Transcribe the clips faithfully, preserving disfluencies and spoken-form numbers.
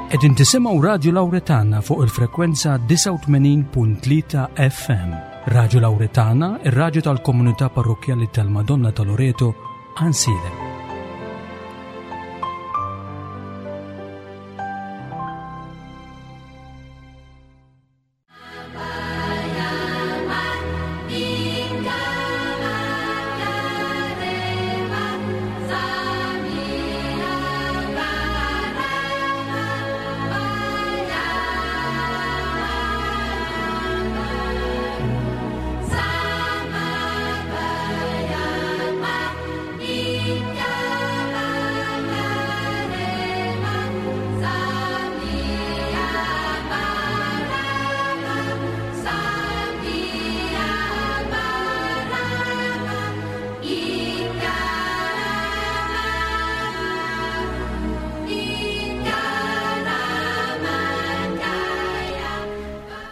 Qegħdin tisimgħu Radio Lauretana fuq il-frekwenza disgħa u tmenin punt tlieta F M. Radio Lauretana, ir-radju tal-Komunità Parrokkjali tal-Madonna ta' Loreto, Għajnsielem.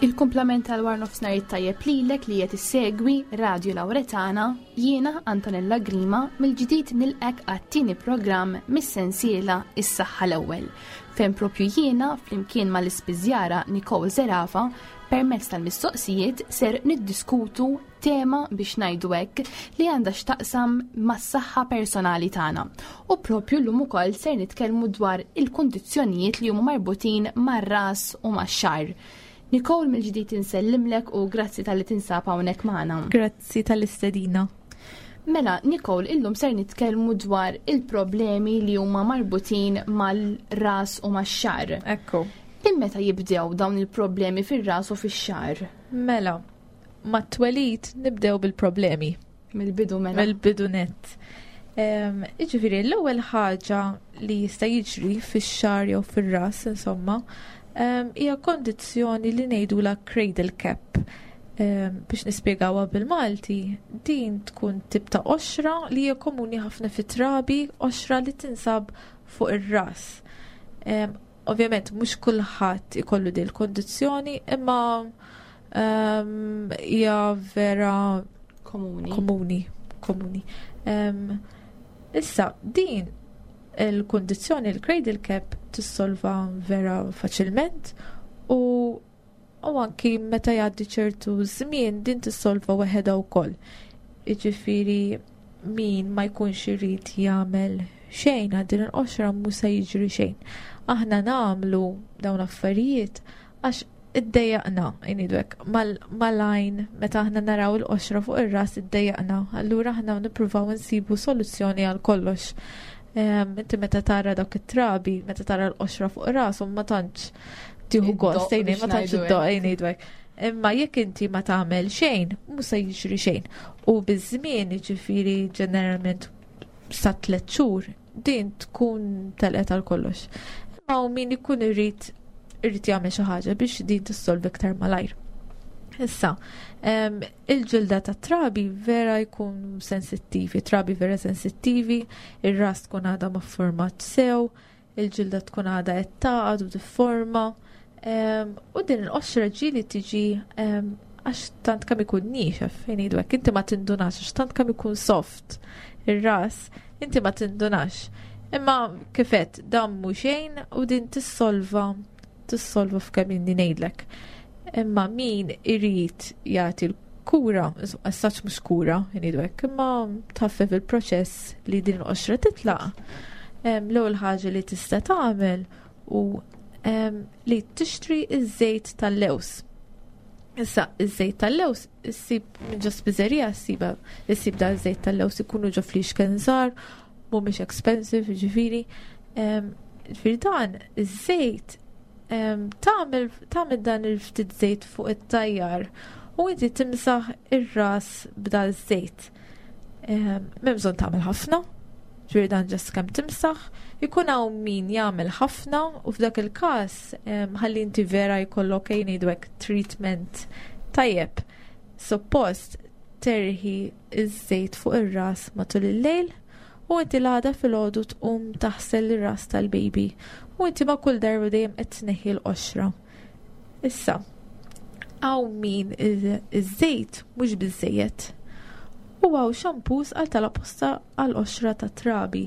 Il-kumplament tal-war nofsinhar it-tajjeb lilek li qed issegwi Radio Lauretana, jiena Antonella Grima mill-ġdid nilqek għat-tieni programm mis-sensiela Is-Saħħa l-Ewwel, fejn propju jiena flimkien mal-ispiżjara Nicole Zerafa permezz tal-mistoqsijiet ser niddiskutu tema biex ngħidu hekk li għandha x'taqsam mas-saħħa personali tagħna. U propju llum ukoll ser nitkellmu dwar il-kundizzjonijiet li huma marbutin mar-ras u max-xagħar. Nicole, mill-ġdid insellimlek u grazzi tal-li tinsab hawnhekk magħna. Grazzi tal-istedina. Mela, Nicole, illum ser nitkellmu dwar il-problemi li huma marbutin mal-ras u max-xagħar. Ekku. Minn meta jibdew dawn il-problemi fir-ras u fix-xagħar? Mela, mat-twelid nibdew bil-problemi. Mill-bidu mela. Mill-bidu nett. Em, jiġifieri, l-ewwel ħaġa li jista' jiġri fix-xagħar jew fir-ras, insomma, em, hija kondizzjoni li ngħidulha cradle cap. Em, biex nispjegawha bil-Malti, din tkun tip ta' qoxra li hija komuni ħafna fit-trabi, qoxra li tinsab fuq ir-ras. Em, ovvjament mhux kulħadd ikollu din il-kondizzjoni, imma, em, hija vera Komuni. komuni, komuni. Em, issa, din il-kondizzjoni, il-cradle cap, tissolva vera faċilment u, u anki meta jgħaddi ċertu żmien din tissolva waħedha wkoll. Jiġifieri min ma jkunx irid jagħmel xejn għal din il-qoxra mhux se jiġri xejn. Aħna nagħmlu dawn l-affarijiet għax iddejjaqna, ngħidu hekk, mal-, mal-għajn meta aħna naraw il-qoxra fuq ir-ras iddejjaqna, allura aħna nippruvaw insibu soluzzjoni għal kollox. Em, inti meta tara dawk it-trabi, meta tara l-qoxra fuq rashom ma tantx tieħu Id-doq gost, tgħidli, biex ma tantx ngħidu id-doq, hekk. ngħidu hekk. Imma jekk inti ma tagħmel xejn, mhux se jiġri xejn. U biż-żmien, jiġifieri ġeneralment sa tliet xhur, din tkun telqet għal kollox. Imma hawn min ikun irid, irid jagħmel xi ħaġa biex din tissolvi iktar malajr. Issa, em, il-ġilda ta' trabi vera jkun sensittivi, trabi vera sensittivi, ir-ras tkun għadha ma format sew, il-ġilda tkun għadha qed taqgħad u tifforma, em, u din il-qoxra ġieli tiġi, em, għax tant kemm ikun niexef, fejn ngħidu hekk, inti ma tindunax, għax tant kemm ikun soft ir-ras, inti ma tindunax. Imma kifet, dan mhu xejn u din tissolva, tissolva f'kemm inni ngħidlek. Imma min irid jagħti l-kura, insomma, as-saċ mhux kura, ngħidu hekk, imma tħaffef il-proċess li din il-qoxra titlaq. Em, l-ewwel ħaġa li tista' tagħmel u, em, li tixtri iż-żejt tal-lews. Issa, iż-żejt tal-lews issib minn ġo spiżerija, ssiba, issib da ż-żejt tal-lews ikunu ġo flixken żgħar, mhumiex expensive, jiġifieri. Em, jiġifieri dan iż-żejt, em, tagħmel, tagħmel dan il-ftit żejt fuq it-tajjar u inti timsaħ ir-ras b'dal żejt. Em, m'hemm bżonn tagħmel ħafna, ġifieri dan ġast kemm timsaħ, ikun hawn min jagħmel ħafna u f'dak il-każ, em, ħalli inti vera jkollok ejn ngħidu hekk treatment tajjeb. Suppost terħi iż-żejt fuq ir-ras matul il-lejl u inti l-għada filgħodu tqum taħsel ir-ras tal-baby u inti ma' kull darba dejjem qed tneħħi l-qoxra. Issa, hawn min iż-, iż-żejt mhux biżżejjed u hawn shampoos għal tal-apposta għal qoxra ta' trabi.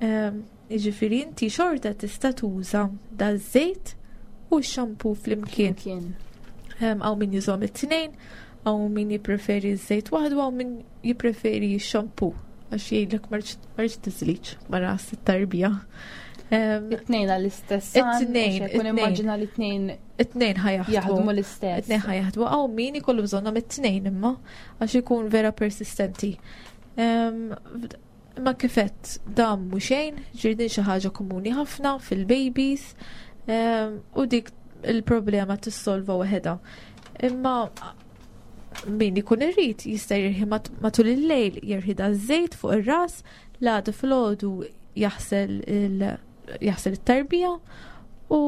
Em, Jiġifieri inti xorta tista' tuża daż-żejt u x-shampoo flimkien. Hawn min jużahom it-tnejn, hawn min jippreferi ż-żejt waħdu, hawn min jippreferi x-shampoo għax jgħidlek ma rridx tiżliġ ma ras it-tarbija. It-tnejn għall-istess. It-tnejn. Kun immaġina li t-tnejn. It-tnejn ħa jaħdmu. Jaħdmu l-istess. It-tnejn ħa jaħdmu. Hawn min ikollu bżonnhom it-tnejn imma għax ikun vera persistenti. Imma kif għedt dan mhu xejn, ġirdin xi ħaġa komuni ħafna fil-babies u dik il-problema tissolva waħedha. Imma min ikun irrid jista' jirħi matul il-lejl, jirħi da żejt fuq ir-ras, l-għada filgħodu jaħsel jaħsel it-tarbija u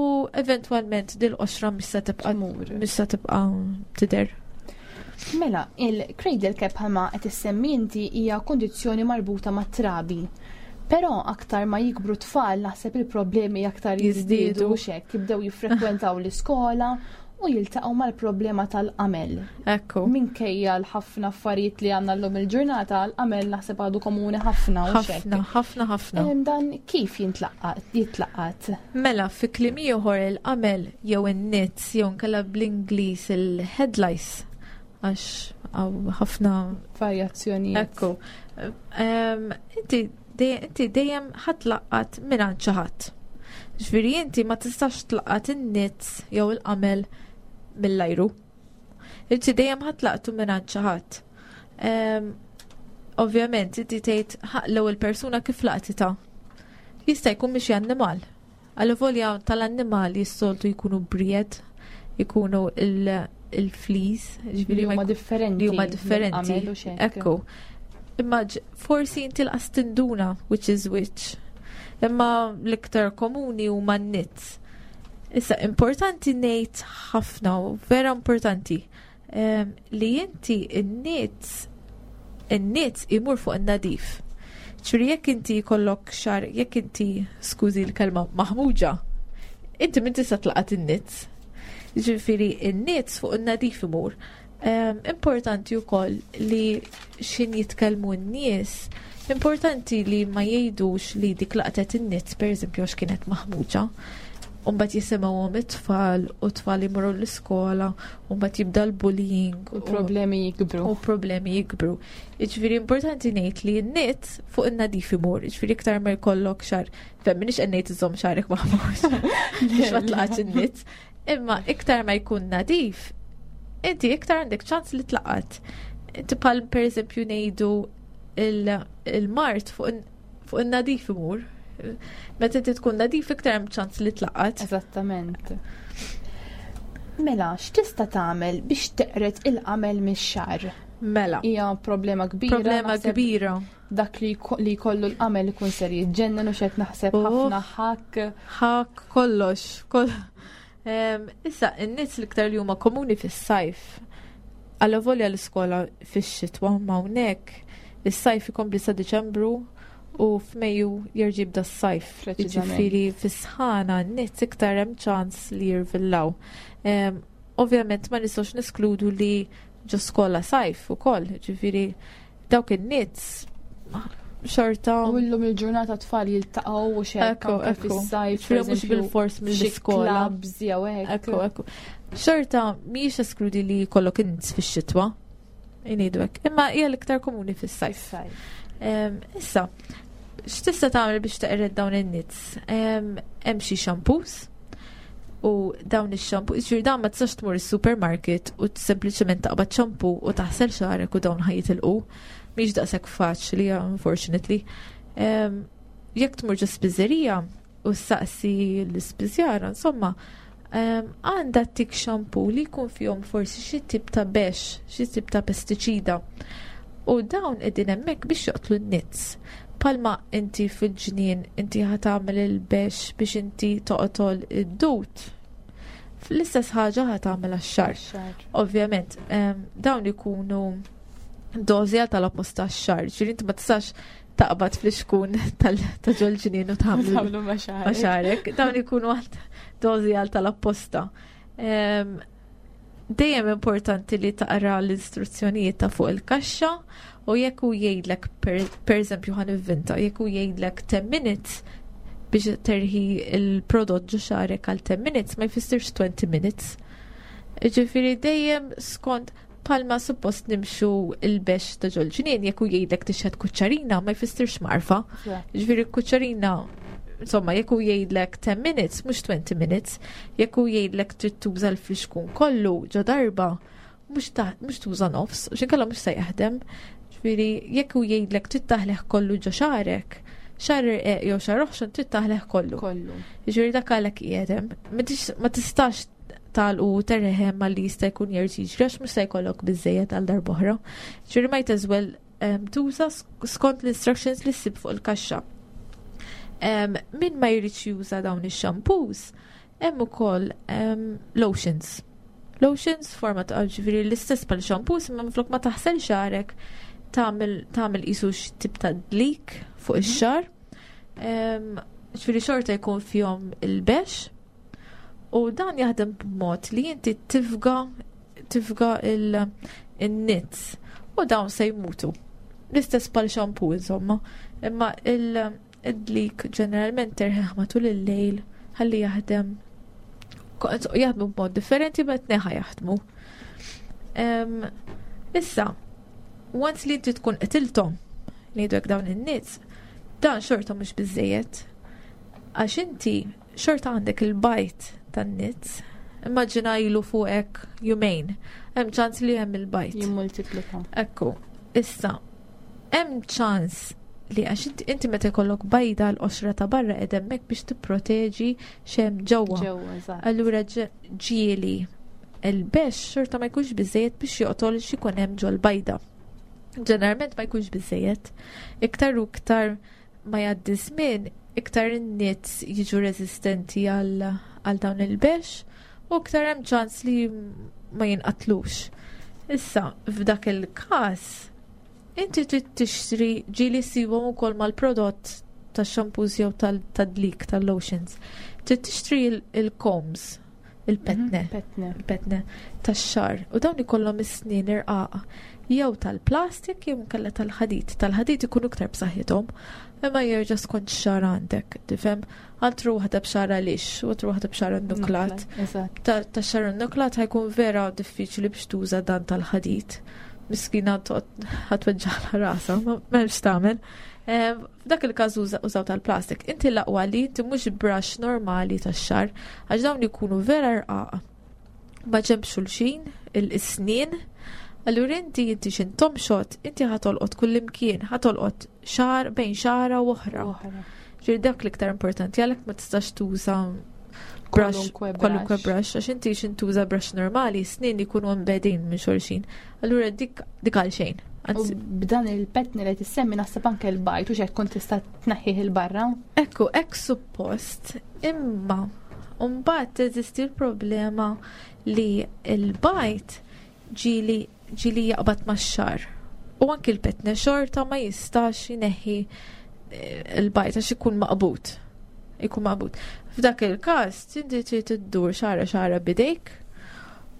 eventwalment dil-qoxra mhux se tibqa' mhux se tibqa' tidher. Mela, il-cradle cap bħalma qed issemmi inti hija kondizzjoni marbuta mat-trabi. Però aktar ma jikbru tfal naħseb il-problemi aktar jiżdiedu u xek, jibdew jiffrekwentaw l-iskola u jiltaqgħu mal-problema tal-qamel. Ekku. Minkejja l-ħafna affarijiet li għandna llum il-ġurnata, l-qamel naħseb għadu komuni ħafna u xek. Ħafna, ħafna, ħafna. Dan kif jintlaqqat, jitlaqqat? Mela, fi kliem ieħor il-qamel jew in-nits jew nkella bl-Ingliż il-head lice, għax hawn ħafna varjazzjonijiet. Ekku. Inti inti dejjem ħa tlaqqat minn xi ħadd. Ġifieri inti ma tistax tlaqqat in-nits jew il-qamel mill-ajru. Inti dejjem ħa tlaqqtu minn xi ħadd. Ovvjament inti tgħid l-ewwel persuna kif laqtitha. Jista' jkun minn xi annimal. Għal-volja tal-annimali s-soltu jkunu bried, jkunu il-fleas, ġifieri huma differenti. Li huma differenti. Ekku. Imma forsi inti lanqas tinduna which is which. Imma l-iktar komuni huma n-nits. Issa, importanti ngħid ħafna, vera importanti, li inti n-nits, n-nits imur fuq in-nadif. Ġifieri jekk inti jkollok xagħar, jekk inti, skużi l-kelma, maħmuġa, inti min tista' tlaqat in-nits. Ġifieri n-nits fuq in-nadif imur. Importanti wkoll li xin jitkellmu n-nies, importanti li ma jgħidux li dik laqtet in-nits, per eżempju, għax kienet maħmuġa. Umbagħad jisimgħuhom it-tfal u t-tfal imorru l-iskola, umbagħad jibda l-bullying. U problemi jikbru. U problemi jikbru. Jiġifieri importanti ngħid li n-nits fuq in-nadif imur, jiġifieri iktar ma jkollok xagħar, fem minix qed ngħid iżomm xagħrek maħmuġ biex ma tlaqatx in-nits, imma iktar ma jkun nadif, inti iktar għandek ċans li tlaqat. Inti bħal per eżempju ngħidu il-mard fuq in-nadif imur. Meta inti tkun nadif iktar hemm ċans li tlaqat. Eżattament. Mela, x'tista' tagħmel biex teqret il-qamel mix-xagħar? Mela. Hija problema kbira. Problema kbira. Dak li jkollu l-qamel ikun ser jiġġennen u xed naħseb ħafna ħakk. Ħakk kollox. Issa, in-nies l-iktar li huma komuni fis-sajf. Allavolja l-iskola fix-xitwa ma hawnhekk is-sajf ikompli sa Diċembru u f'Mejju jerġa' jibda s-sajf. Jiġifieri fis-sħana n-nies iktar hemm ċans li jirvillaw. Ovvjament ma nistgħux neskludu li ġo skola sajf ukoll, ġifieri dawk in-nies xorta. U llum il-ġurnata tfal jiltaqgħu u xekk fis-sajf. Mhux bil-fors mill-iskola. Clubs jew hekk. Ekku, ekku. Xorta mhijiex eskludi li jkollok in-nies fix-xitwa. Ngħidu hekk. Imma hija l-iktar komuni fis-sajf. Issa, x'tista' tagħmel biex teqred dawn in-nits? Hemm xi shampoos u dawn ix-shampoo, jiġifieri dawn ma tistax tmur is-supermarket u sempliċement taqbad shampoo u taħsel xagħrek u dawn ħa jitilqu. Mhix daqshekk faċli, unfortunately. Jekk tmur ġo spiżerija u saqsi l-ispiżjara, insomma, għandha tik shampoo li jkun fihom forsi xi tip ta' bex, xi tip ta' pestiċida. U dawn qegħdin hemmhekk biex joqtlu n-nits. Palma inti fil-ġnien inti ħa tagħmel il-bex biex inti toqtol id-dut. L-istess ħaġa ħa tagħmel għax-xagħar. Ovvjament, dawn ikunu dożi għal tal-apposta għax-xagħar. Ġifieri inti ma tistax taqbad fl-ixkun ta' ġol-ġnien u tagħmlu ma' xagħrek. Dawn ikunu dożi għal tal-apposta. Dejjem importanti li taqra l-istruzzjonijiet ta' fuq il-kaxxa u jekk hu jgħidlek per eżempju ħa nivvinta, jekk hu jgħidlek ten minutes, Biex terħi il-prodott ġo xagħrek għal ten minutes ma jfissirx twenty minutes. Ġifieri dejjem skont palma suppost nimxu il-bexx ta' ġol-ġnien, jekk u jgħidlek tixħet kuċċarina ma jfissirx mgħarfa. Ġifieri kuċċarina, insomma, jekk u jgħidlek ten minutes, mhux twenty minutes, jekk u jgħidlek trid tuża l-flixkun kollu ġo darba, mhux tuża nofs, u x'inkella mhux se jaħdem. Ġifieri jekk u jgħidlek trid taħleħ kollu ġo xagħrek, xagħar irqiq jew xagħar oħxon trid taħleħ kollu. Kollu. Ġifieri dak għalhekk qiegħed. Ma tistax tal u terreħem ma li jista' jkun jerġa' jiġri għax mhux se jkollok biżejjed għal darb'oħra. Ġifieri might as well tuża skont l-instructions li ssib fuq il-kaxxa. Min ma jridx juża dawn ix-shampoos, hemm ukoll lotions. Lotions forma ta' ġifieri l-istess bħal shampoos, imma minflok ma taħsel xagħrek tagħmel qisu tip ta' dlik fuq ix-xagħar. Ġifieri xorta jkun fihom il-bexx. U dan jaħdem b'mod li inti tifga, tifga il-nits u dawn se jmutu. L-istess bħal shampoo insomma, imma il-dlik ġeneralment terħeħ matul il-lejl ħalli jaħdem. Jaħdmu b'mod differenti ma tneħħa jaħdmu. Issa, once li inti tkun qtilthom li jgħidu dawn in-nits, dan xorta mhux biżejjed. Għax inti xorta għandek il-bajt tan-nits. Immaġina ilu fuqek jumejn. Hemm ċans li hemm il-bajt. Jimmultiplika. Ekku. Issa, hemm ċans li għax inti meta jkollok bajda l-qoxra ta' barra qed hemmhekk biex tipproteġi x'hemm ġewwa. Ġewwa, eżatt. Allura ġieli il-bexx xorta ma jkunx biżejjed biex joqtol x'ikun hemm ġol-bajda. Ġeneralment ma jkunx biżejjed. Iktar u iktar ma jgħaddi żmien, iktar in-nits jiġu reżistenti għal għal dawn il-bexx u iktar hemm ċans li ma jinqatlux. Issa, f'dak il-każ, inti trid tixtri ġieli ssibhom ukoll mal-prodott tax-shampoos jew tad-dlik tal-lotions. Trid tixtri il-combs, il-petne, petne. il-petne tax-xagħar u dawn ikollhom is-snien irqaqa jew tal-plastik jew inkella tal-ħadid. Tal-ħadid ikunu iktar b'saħħithom, imma jerġa' skont xagħar għandek, tifhem? Altru waħda b'xagħar lixx u altru waħda b'xagħar nuklat. Eżatt. Ta' xagħar nuklat ħajkun vera diffiċli biex tuża dan tal-ħadid. Miskina ħatweġġaħla rasha, ma m'hemmx tagħmel. F'dak il-każ użaw tal-plastik. Inti l-aqwa li inti mhux brush normali tax-xagħar, għax dawn ikunu vera rqaq. Ma ġenb xulxin, il-isnien. Allura inti inti x'intom xot, inti ħatolqot kullimkien, ħatolqot xagħar bejn xagħra u oħra. Oħra. Ġifieri dak l-iktar importanti, għalhekk ma tistax tuża brush, Kwalunkwe kwalunkwe brush. brush, għax inti x'intuża brush normali, snin ikunu embedin minn xulxin. Allura dik, dik għal xejn. U Anzi, b'dan il-petni li tissemmi naħseb anke l-bajt u x'hekk kont tista' tneħħih il-barra. Ekku, hekk suppost, imma mbagħad teżisti l-problema li l-bajt ġieli, ġieli jaqbad max-xagħar. U anki l-petne xorta ma jistax jneħħi, eh, il-bajt għax ikun maqbud. Ikun maqbud. F'dak il-każ inti trid iddur xagħra xagħra bidejk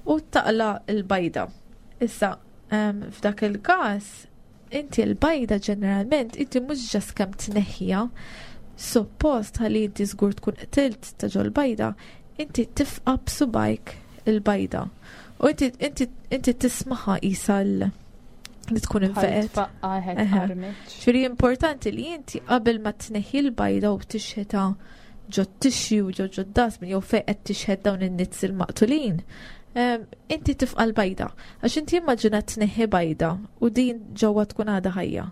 u taqla l-bajda. Issa, em, f'dak il-każ inti l-bajda ġeneralment inti mhux ġas kemm tneħħiha, suppost ħalli inti żgur tkun qtilt ta' ġol-bajda, inti tifqa' b'subajk il-bajda. U inti, inti, inti tismaħa qisha l-, li tkun Bħal infeqet. tfaqqa' ħed Eħe. armiċ. Ġifieri importanti li inti qabel ma tneħħi l-bajda u tixħetha ġo tixju, ġo ġo dasmin, jew fejn qed tixħet dawn in-nits il-maqtulin, em, inti tifqa' l-bajda. Għax inti immaġina tneħħi bajda u din ġewwa tkun għadha ħajja.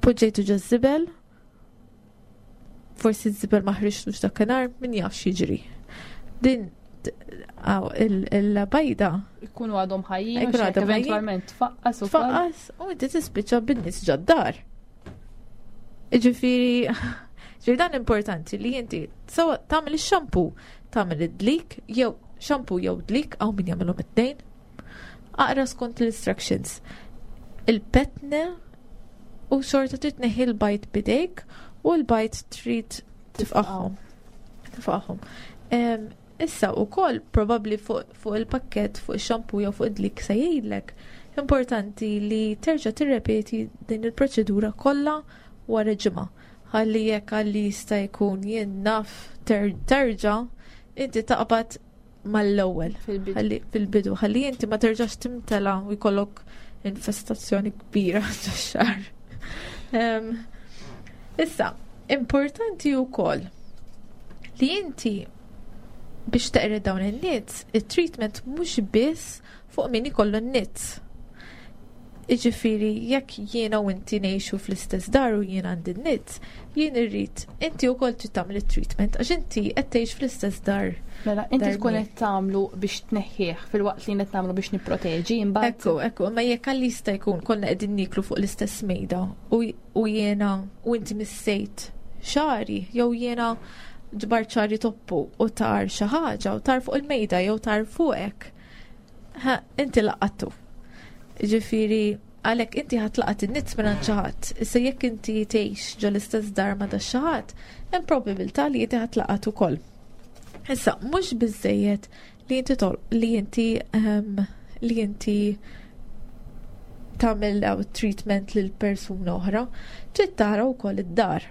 Poġġejtu ġo żibel, forsi ż-żibel ma ħriġtux dakinhar, min jaf x'jiġri. Din għaw, il-, il-bajda Ikunu għadhom ħajjin, Ikunu u x'hekk għadhom ħajjin. eventwalment tfaqqas ukoll. Tfaqqas u inti tispiċċa bin-nies ġod-dar. Ġifieri, ġifieri dan importanti li inti sewa tagħmel ix-shampoo, tagħmel id-dlik, jew shampoo jew dlik, hawn min jagħmilhom it-tnejn. Aqra skont l-instructions. Il-petne u xorta trid tneħħi l-bajt bidejk u l-bajt trid tifqaħħom. Tifqaħħom. Em, issa wkoll probabbli fuq, fuq il-pakket, fuq ix-shampoo jew fuq id-dlik se jgħidlek. Importanti li terġa' tirrepeti din il-proċedura kollha wara ġimgħa. Ħalli jekk għalli jista' jkun jien naf terġa', inti taqbad mal-ewwel. Fil-bidu. Ħalli inti ma terġax timtela u jkollok infestazzjoni kbira ġox-xagħar. Issa, importanti wkoll li inti biex teqred dawn in-nits, it-treatment mhux biss fuq min ikollu n-nits. Iġifieri, jekk jiena u inti ngħixu fl-istess dar u jiena għandi n-nits, jien irrid inti wkoll trid tagħmel it-treatment għax inti qed tgħix fl-istess dar. Mela, inti tkun qed tagħmlu biex tneħħih filwaqt li qed nagħmlu biex nipproteġi imbagħad. Ekku, ekku, ma jekk għalli jista' jkun konna qegħdin niklu fuq l-istess mejda u jiena u inti missejt xagħri jew jiena ġbart xagħri toppu u tar xi ħaġa u tar fuq il-mejda jew tar fuqek. Ha, inti laqattu. Ġifieri, għalhekk inti ħa tlaqat in-nits minn xi ħadd. Issa jekk inti tgħix ġo l-istess dar ma' da xi ħadd, hemm probabilità li inti ħa tlaqat ukoll. Issa, mhux biżejjed li inti tol li inti um, li inti tagħmel treatment lil persuna oħra, trid tara wkoll id-dar.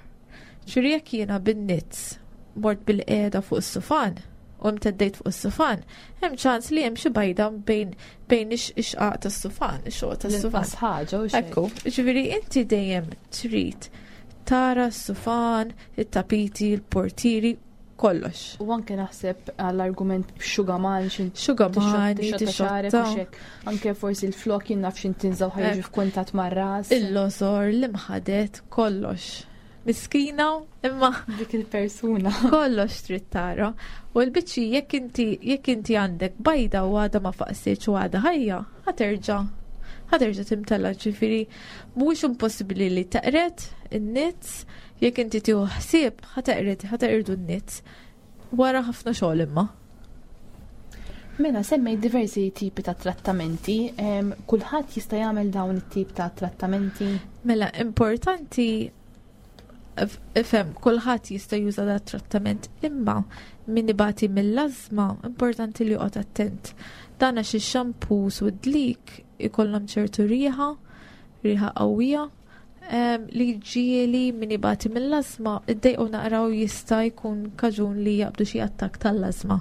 Ġifieri jekk jiena bin-nits mort bil-qiegħda fuq is-sufan u mteddejt fuq is-sufan, hemm ċans li hemm xi bajda bejn bejn ix-xqaq tas-sufan, ix-xoq tas-sufan. Ħaġa u Ekku, ġifieri inti dejjem trid tara s-sufan, it-tapiti, il-portieri, kollox. U anke naħseb għall-argument xugaman, xin Xugamani, tixxotta. Anke forsi l-flok jien naf xin tinżaw ħa jiġu f'kuntatt mar-ras. Il-losor, l-imħadet, kollox. Miskina, imma dik il-persuna. Kollox trid tara. U l-biċċi jekk inti jekk inti għandek bajda u għadha ma faqsitx u għadha ħajja, ħa terġa' ħa terġa' timtella, ġifieri mhuwiex impossibbli li teqred in-nits, jekk inti tieħu ħsieb ħa teqred, ħa teqirdu n-nits. Wara ħafna xogħol imma. Mela, semmej diversi tipi ta' trattamenti, kulħadd jista' jagħmel dawn it-tip ta' trattamenti? Mela, importanti ifhem, kulħadd jista' juża dat trattament, imma min ibati mill-ażma importanti li joqgħod attent. Dan għax ix-shampoos u d-dlik ikollhom ċertu riħa, riħa qawwija, li ġieli min ibati mill-ażma iddejqu naqraw jista' jkun kaġun li jaqbdu xi attakk tal-ażma.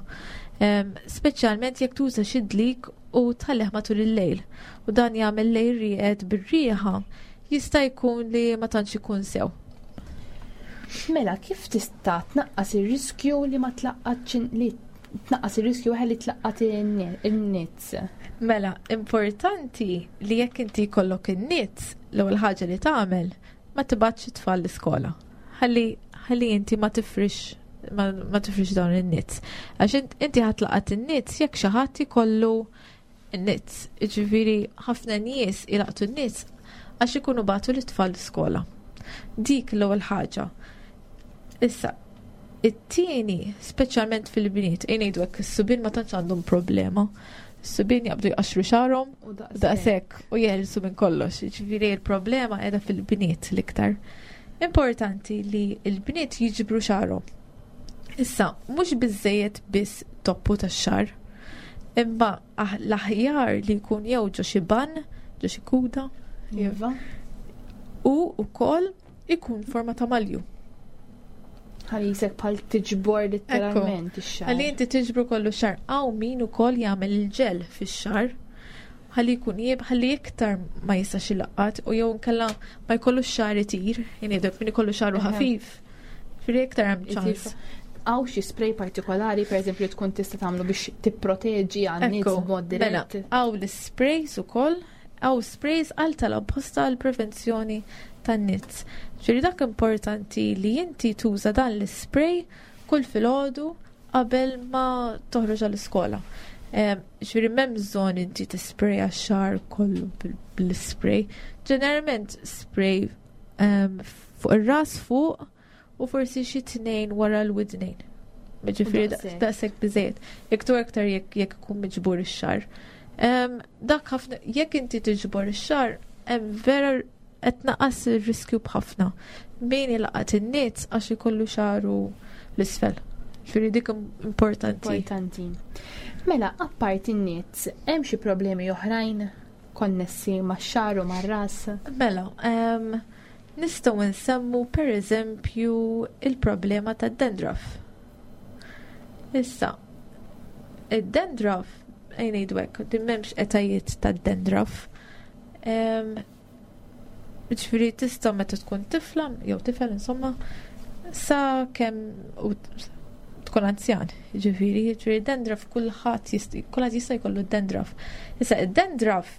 Speċjalment jekk tuża xi dlik u tħallih matul il-lejl u dan jagħmel lejl rieqed bir-riħa, jista' jkun li ma tantx ikun sew. Mela, kif tista' tnaqqas ir-riskju li ma tlaqqatx li tnaqqas ir-riskju li tlaqqat in-nits? Mela, importanti li jekk inti jkollok in-nits, l-ewwel ħaġa li tagħmel ma tibgħatx it-tfal l-iskola. Ħalli ħalli inti ma tifrix ma, ma tifrix dawn in-nits. Għax inti ħa tlaqat in-nits jekk xi ħadd ikollu n-nits. Jiġifieri ħafna nies ilaqtu n-nits għax ikunu bagħtu l-itfal l-iskola. Dik l-ewwel ħaġa. Issa, it-tieni, speċjalment fil-bniet, ngħidu hekk, is-subien ma tantx għandhom problema. Is-subien jaqbdu jqaxxru xagħarhom U daqshekk. daqshekk u jeħilsu minn kollox. Jiġifieri l-problema qiegħda fil-bniet l-iktar. Importanti li l-bniet jiġbru xagħarhom. Issa, mhux biżejjed biss toppu tax-xagħar, imma ah-, l-aħjar li jkun jew ġo xi bun, ġo xi kuda, Iva. u wkoll ikun forma ta' malju. Ħalli jisek bħal tiġbor letteralment ix-xagħar. Ħalli inti tiġbru kollu xagħar. Hawn min ukoll jagħmel il-ġel fix-xagħar. Ħalli jkun jieb, ħalli iktar ma jistax ilaqqat u jew inkella ma jkollux xagħar itir, jien min ikollu xagħru Eħe. ħafif. Ġifieri iktar hemm Itir ċans. Hawn xi spray partikolari, per eżempju, tkun tista' tagħmlu biex tipproteġi għan-nits Ekku, b'mod mela, dirett. Hawn l-sprays ukoll, hawn sprays għal tal-apposta għal prevenzjoni tan-nits. Ġifieri dak importanti li inti tuża dan l-spray kull filgħodu qabel ma toħroġ għall-iskola. Em, Ġifieri m'hemm bżonn inti tispraya x-xagħar kollu bil- bil-spray. Ġeneralment spray em, fuq ir-ras fuq u forsi xi tnejn wara l-widnejn. Ġifieri daqshekk. daqshekk biżejjed. Jekk tu aktar jekk jekk ikun miġbur ix-xagħar. Em, Dak ħafna jekk inti tiġbor ix-xagħar, hemm vera qed tnaqqas ir-riskju b'ħafna. Min ilaqat in-nits għax ikollu xagħru l-isfel. Ġifieri dik importanti. Importanti. Mela, apparti n-nits, hemm xi problemi oħrajn konnessi max-xagħar u mar-ras? Mela, em, Nistgħu nsemmu per eżempju il-problema tad-dandruff. Issa, id-dandruff, ejja ngħidu hekk, din m'hemmx etajiet tad-dandruff. Ġifieri tista' meta tkun tifla, jew tifel insomma, sa kemm u tkun anzjan, ġifieri, ġifieri dandruff kulħadd jista' kulħadd jista' jkollu dandruff. Issa id-dandruff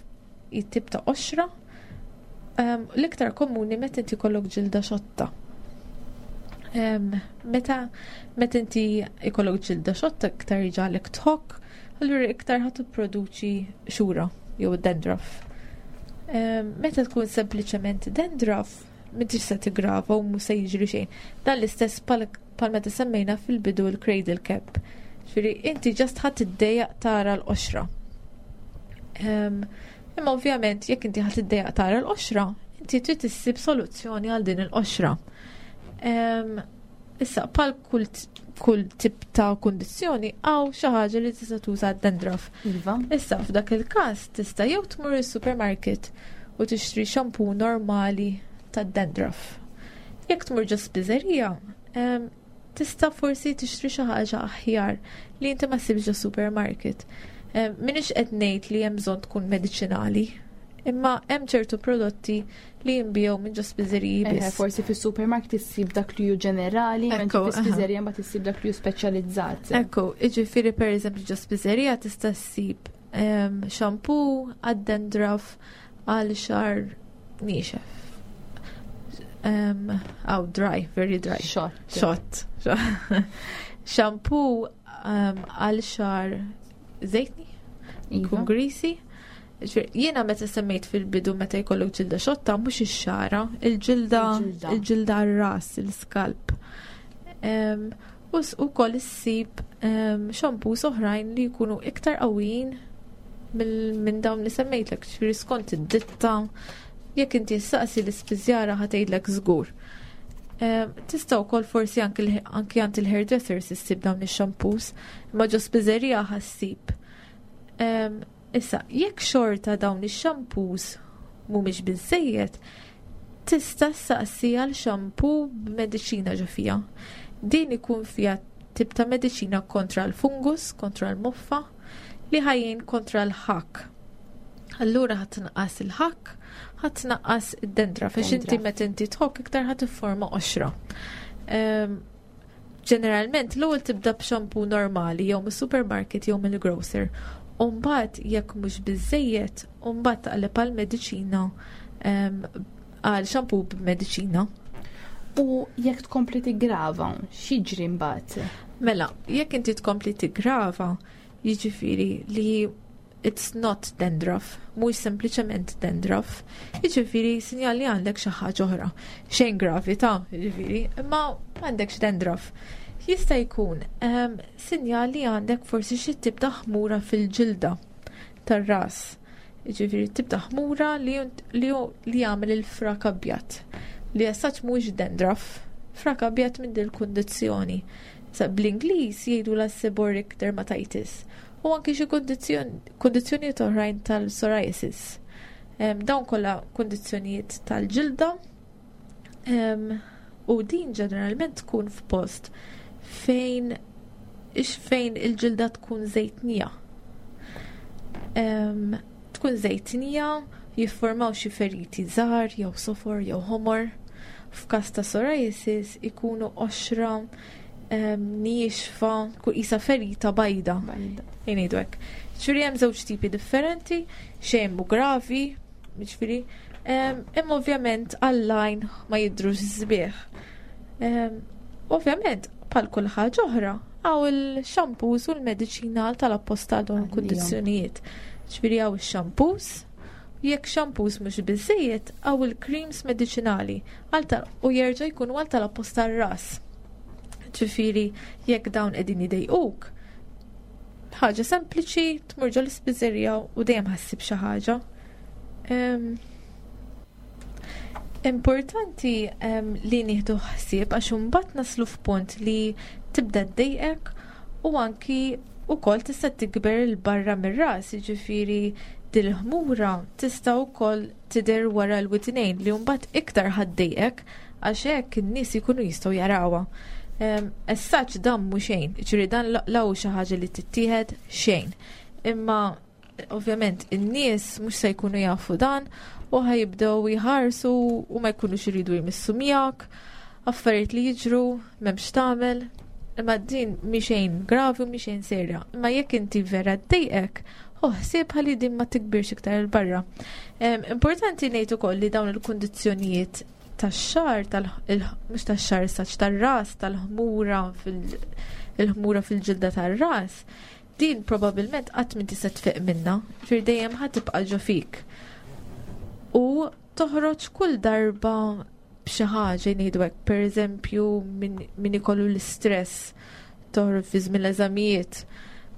tip ta' qoxra um, l-iktar komuni meta inti jkollok ġilda xotta. Um, meta meta inti jkollok ġilda xotta iktar jġagħlek tħokk, allura iktar ħa tipproduċi xura jew dandruff. Um, meta tkun sempliċement dandruff, m'intix se tigrava u mhux se jiġri xejn. Dan l-istess pal, pal meta semmejna fil-bidu l-cradle cap. Ġifieri inti just ħa tiddejjaq tara l-qoxra. Um, imma ovvjament jekk inti ħa tiddejjaq tara l-qoxra, inti trid issib soluzzjoni għal din il-qoxra. Um, issa, pal kull, kull tip ta' kundizzjoni hawn xi ħaġa li tista' tuża dandruff. Iva. Issa, f'dak il-każ tista' jew tmur is-supermarket u tixtri shampoo normali tad-dandruff. Jekk tmur ġo spiżerija, em, tista' forsi tixtri xi ħaġa aħjar li inti ma ssibx ġo supermarket. Em, M'iniex qed ngħid li hemm bżonn tkun mediċinali, imma hemm ċertu prodotti li jinbiegħu minn ġo spiżeriji Eħe, biss. forsi fis-supermarket issib dak li hu ġenerali, mentri Ekku, aha. fis-spiżerija mbagħad issib dak li hu speċjalizzat. Ekku, iġifieri per eżempju ġo spiżerija tista' ssib em, shampoo għad-dandruff għal xagħar niexef. Um, oh, dry, very dry. Xott. Xott. Shampoo um, għal xagħar żejtni, Iva. jkun greasy. Ġifieri, jiena meta semmejt fil-bidu meta jkollok ġilda xotta, mhux ix-xara, il-ġilda Il-ġilda. il-ġilda r-ras, il-scalp. Um, u s- ukoll issib um, shampoos oħrajn li jkunu iktar qawwijin mill- minn dawn li semmejtlek, ġifieri skont id-ditta, jekk inti ssaqsi l-ispiżjara ħa tgħidlek żgur. Um, Tista' wkoll forsi anki l- anki għand il-hairdressers issib dawn ix-shampoos, imma ġo spiżerija ħa ssib. Um, issa, jekk xorta dawn ix-shampoos mhumiex biżejjed, tista' ssaqsi għal shampoo b'mediċina ġo fiha. Din ikun fiha tip ta' mediċina kontra l-fungus, kontra l-moffa, li ħa jgħin kontra l-ħakk. Allura ħa tnaqqas il-ħakk, ħa tnaqqas id-dandruff, għax inti Dandruff. meta inti tħokk iktar ħa tifforma qoxra. Ehm, Ġeneralment l-ewwel tibda b'shampoo normali jew mis-supermarket jew mill-grocer. U mbagħad jekk mhux biżejjed, u mbagħad taqleb għal mediċina ehm, għal shampoo b'mediċina. U jekk tkompli tigrava, x'jiġri mbagħad? Mela, jekk inti tkompli tigrava, jiġifieri li it's not dandruff, mhux sempliċement dandruff, jiġifieri sinjal li għandek xi ħaġa oħra. Xejn gravi ta' jiġifieri, imma m'għandekx dandruff. Jista' jkun um, sinjal li għandek forsi xi tip ta' ħmura fil-ġilda tar-ras. Jiġifieri tip ta' ħmura li, li, li jagħmel il-frak abjad. Li as such mhux dandruff, frak abjad minn din il-kundizzjoni. Sa bl-Ingliż jgħidu la seborrheic dermatitis u anki xi kundizzjonijiet oħrajn tal-psoriasis. Um, dawn kollha kundizzjonijiet tal-ġilda um, u din ġeneralment tkun f'post fejn ix fejn il-ġilda tkun żejtnija. Um, tkun żejtnija, jiffurmaw xi feriti żgħar jew sofor jew ħomor. F'każ ta' psoriasis ikunu qoxra um, niexfa, kun isa ferita bajda. Bajda. Ngħidu hekk. Ġifieri hemm żewġ tipi differenti, xejn mhu gravi, ġifieri, em, imma ovvjament għall-għajn ma jidhrux sbieħ. Em, Ovvjament, bħal kull ħaġa oħra, hawn il-shampoos u l-mediċina tal-apposta għal dawn il-kundizzjonijiet. Ġifieri hawn il-shampoos, jekk shampoos mhux biżejjed, hawn il-creams mediċinali għal tal- u jerġa' jkunu għal tal-apposta r-ras. Ġifieri, jekk dawn qegħdin idejquk, ħaġa sempliċi, tmur ġo l-ispiżerija u dejjem ħa ssib xi ħaġa. Em, Importanti em, li nieħdu ħsieb għax imbagħad naslu f'punt li tibda ddejqek u anki wkoll tista' tikber 'il barra mir-ras, jiġifieri Dil-ħmura tista' wkoll tidher wara l-widnejn li mbagħad iktar ħa ddejqek għax hekk in-nies ikunu jistgħu jarawha. As such dan mhu xejn, ġifieri dan law xi ħaġa li tittieħed xejn. Imma ovvjament in-nies mhux se jkunu jafu dan u ħa jibdew jħarsu u ma jkunux iridu jmissu miegħek, affarijiet li jiġru, m'hemmx tagħmel. Imma din mhi xejn gravi u mhi xejn serja. Imma jekk inti vera ddejqek, ħsieb ħalli din ma tikbirx iktar 'il barra. Importanti ngħid ukoll li dawn il-kundizzjonijiet tax-xagħar, mhux tax-xagħar saċ tar-ras, tal-ħmura fil-ħmura fil-ġilda tar-ras, din probabbilment qatt m'inti se tfiq minna, fir dejjem ħa tibqa' ġo fik. U toħroġ kull darba b'xi ħaġa ngħidu hekk, pereżempju min ikollu l-istress, toħroġ fi żmien l-eżamijiet.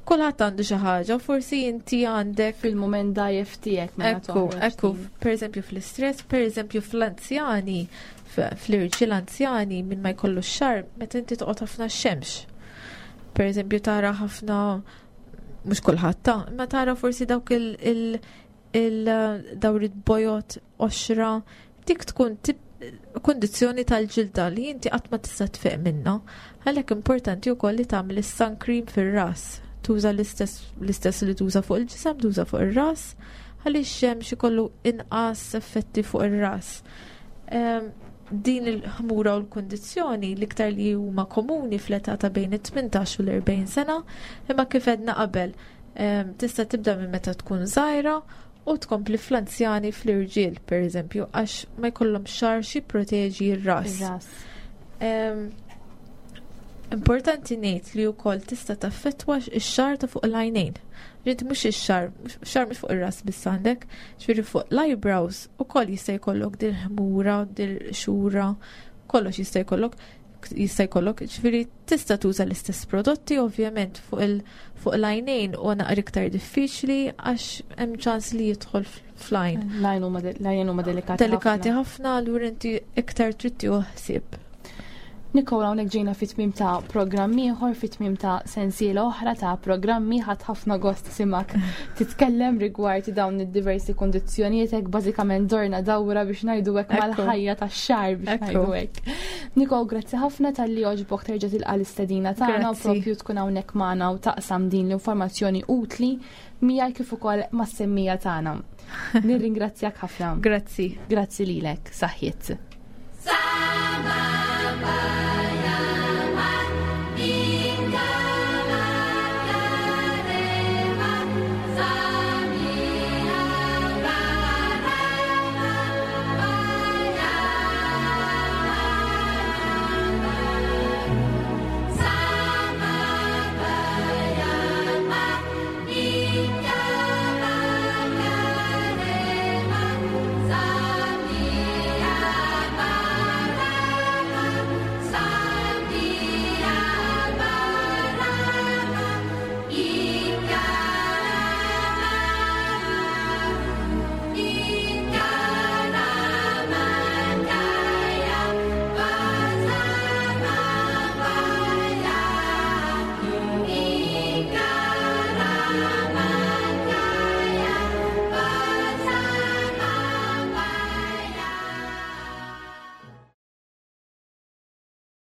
Kulħadd għandu xi ħaġa, forsi inti għandek fil-mument dajjef tiegħek meta Ekku, ekku, pereżempju fl-istress, pereżempju fl-anzjani, fl-irġiel anzjani min ma jkollu x-xagħar, meta inti toqgħod ħafna x-xemx. Pereżempju tara ħafna, mhux kulħadd ta', imma tara forsi dawk il il dawrit bojod qoxra, dik tkun kundizzjoni tal-ġilda li inti qatt ma tista' tfiq minnha. Għalhekk importanti wkoll li tagħmel is-sun cream fir-ras. Tuża l-istess li tuża fuq il-ġisem, tuża fuq ir-ras, għaliex x-xemx ikollu inqas effetti fuq ir-ras. Din il-ħmura u l-kundizzjoni l-iktar li huma komuni fl-età ta' bejn it-tmintax u l-erbgħin sena, imma kif għedna qabel, tista' tibda minn meta tkun żgħira u tkompli fl-anzjani fl-irġiel, per eżempju, għax ma jkollhom xagħar xi proteġi r-ras. Importanti ngħid li wkoll tista' taffettwa x-xagħar ta' fuq l-għajnejn. Ġiet mhux ix-xagħar, xagħar mhux fuq ir-ras biss għandek, ġifieri fuq l-eyebrows ukoll jista' jkollok dil ħmura, dil xura, kollox jista' jkollok, jista' jkollok, ġifieri tista' tuża l-istess prodotti ovvjament fuq il fuq l-għajnejn u naqra iktar diffiċli għax hemm ċans li jidħol fl-għajn. L-għajn huma delikati. Delikati ħafna, allura inti iktar trid tieħu ħsieb. Nikola, hawnhekk ġejna fit-tmiem ta' programm ieħor, fit-tmiem ta' sensiela oħra ta' programmi. Ħadd ħafna gost simak titkellem rigward dawn id-diversi kondizzjonijiet, hekk bażikament dorna dawra biex ngħidu hekk mal-ħajja tax-xagħar biex ngħidu hekk. Nikol, grazzi ħafna talli għoġbok terġa' tilqa' l-istedina tagħna u propju tkun hawnhekk magħna u taqsam din l-informazzjoni utli miegħi kif ukoll mas-semmija tagħna. Nirringrazzjak ħafna. Grazzi. Grazzi lilek, saħħiet.